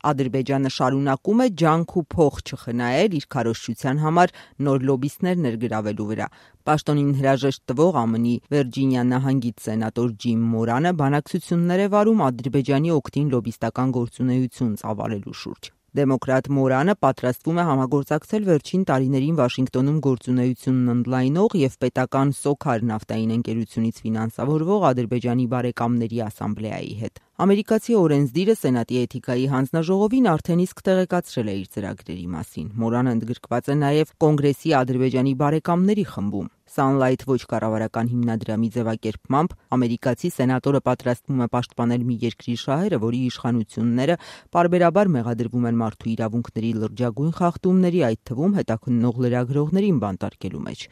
Ադրբեջանը շարունակում է ջանք ու փող չխնայել իր քարոզչության համար նոր լոբբիստներ ներգրավելու վրա։ Պաշտոնին հրաժեշտ տվող ԱՄՆ-ի Վիրջինիա նահանգից սենատոր Ջիմ Մորանը բանակցություններ է վարում Ադրբեջանի օգտին լոբբիստական գործունեություն ծավալելու շուրջ։ Դեմոկրատ Մորանը պատրաստվում է համագործակցել վերջին տարիներին Վաշինգտոնում գործունեությունն ընդլայնող և պետական Սոքար նավթային ընկերությունից ֆինանսավորվող Ադրբեջանի բարեկամների ասամբլեայի հետ։ Ամերիկացի օրենսդիրը Սենատի էթիկայի հանձնաժողովին արդեն իսկ տեղեկացրել է իր ծրագրերի մասին։ Մորանը ընդգրկված է նաև Կոնգրեսի Ադրբեջանի բարեկամների խմբում։ Sunlight ոչ կառավարական հիմնադրամի ձևակերպմամբ ամերիկացի սենատորը պատրաստվում է պաշտպանել մի երկրի շահերը, որի իշխանությունները պարբերաբար մեղադրվում են մարդու իրավունքների լրջագույն խախտումների, այդ թվում հետաքննող լրագրողներին բանտարկելու մեջ։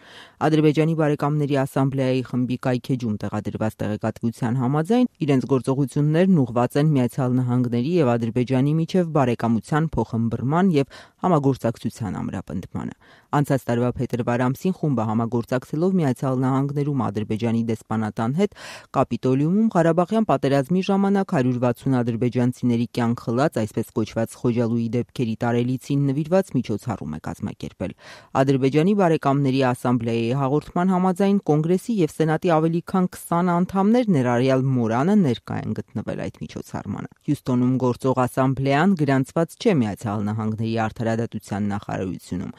Ադրբեջանի բարեկամների ասամբլեայի խմբի կայքեջում տեղադրված տեղեկատվության համաձայն իրենց գործողություններն ուղղված են Միացյալ Նահանգների և Ադրբեջանի միջև բարեկամության փոխըմբռնման և համագործակցության ամրապնդմանը։ Անցած տարվա փետրվար ամսին խումբը համագործակցելով Միացյալ Նահանգներում Ադրբեջանի դեսպանատան հետ Կապիտոլիումում Ղարաբաղյան պատերազմի ժամանակ 160 ադրբեջանցիների կյանք խլած այսպես կոչված Խոջալույի դեպքերի տարելիցին նվիրված միջոցառում է կազմակերպել։ Ադրբեջանի բարեկամների ասամբլեայի հաղորդման համաձայն Կոնգրեսի և Սենատի ավելի քան 20 անդամներ, ներառյալ Մորանը, ներկա են գտնվել այդ միջոցառմանը։ Հյուսթոնում գործող ասամբլեան գրանցված չէ Միացյալ Նահանգների արդարադատության նախարարությունում,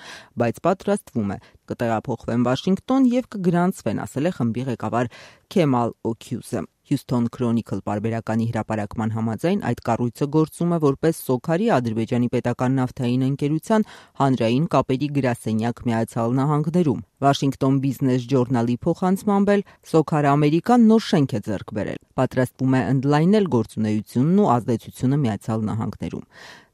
բայց պատրաստվում է կտեղափոխվեն Վաշինգտոն և կգրանցվեն, ասել է խմբի ղեկավար Քեմալ Օքյուզը։ Houston Chronicle պարբերականի հրապարակման համաձայն այդ կառույցը գործում է որպես Սոքարի Ադրբեջանի պետական նավթային ընկերության հանրային կապերի գրասենյակ Միացյալ Նահանգներում։ Washington Business Journal-ի փոխանցմամբ էլ Սոքար Ամերիկան նոր շենք է ձեռք բերել, պատրաստվում է ընդլայնել գործունեությունն ու ազդեցությունը Միացյալ Նահանգներում։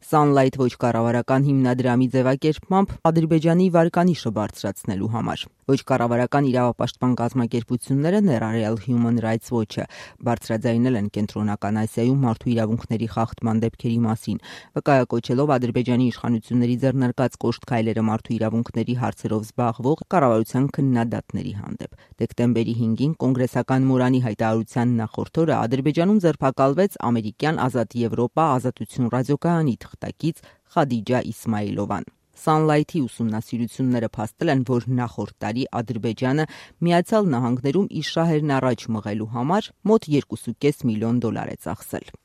Sunlight ոչ կառավարական հիմնադրամի ձևակերպմամբ Ադրբեջանի վարկանիշը բարձրացնելու համար։ Ոչ կառավարական իրավապաշտպան կազմակերպությունները, ներառյալ Human Rights Watch-ը, բարձրաձայնել են Կենտրոնական Ասիայում մարդու իրավունքների խախտման դեպքերի մասին, վկայակոչելով Ադրբեջանի իշխանությունների ձեռնարկած կոշտ քայլերը մարդու իրավունքների հարցերով զբաղվող կառավարության քննադատների հանդեպ։ Դեկտեմբերի 5-ին կոնգրեսական Մորանի հայտարարության նախորդ օրը Ադրբեջանում ձերբակալվեց ամերիկյան Ազատ Եվրոպա ազատություն ռադիոկայանի թղթակից Խադիջա Իսմայիլովան։ Sunlight-ի ուսումնասիրությունները փաստել են, որ նախորդ տարի Ադրբեջանը Միացյալ Նահանգներում իր շահերն առաջ մղելու համար մոտ $2.5 միլիոն է ծախսել։